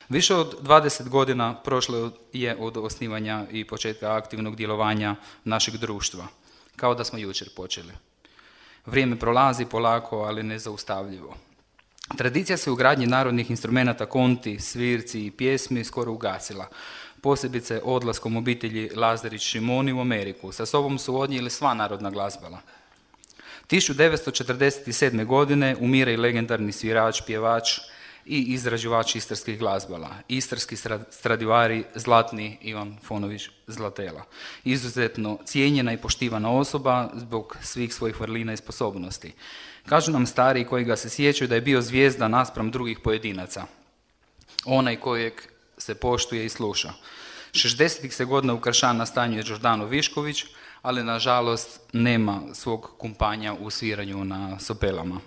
Više od 20 godina prošlo je od osnivanja i početka aktivnog djelovanja našeg društva, kao da smo jučer počeli. Vrijeme prolazi polako, ali nezaustavljivo. Tradicija se u gradnji narodnih instrumenata konti, svirci i pjesmi skoro ugasila, posebice odlaskom obitelji Lazarić-Šimoni u Ameriku. Sa sobom su odnijeli sva narodna glazbala. 1947. godine umire i legendarni svirač, pjevač i izrađivač istarskih glazbala, istarski Stradivari Zlatni Ivan Fonović Zlatela. Izuzetno cijenjena i poštivana osoba zbog svih svojih vrlina i sposobnosti. Kažu nam stariji koji ga se sjećaju da je bio zvijezda naspram drugih pojedinaca, onaj kojeg se poštuje i sluša. 60-ih se godina u Kršan nastanjuje Đordano Višković, ali nažalost nema svog kumpanja u sviranju na sopelama.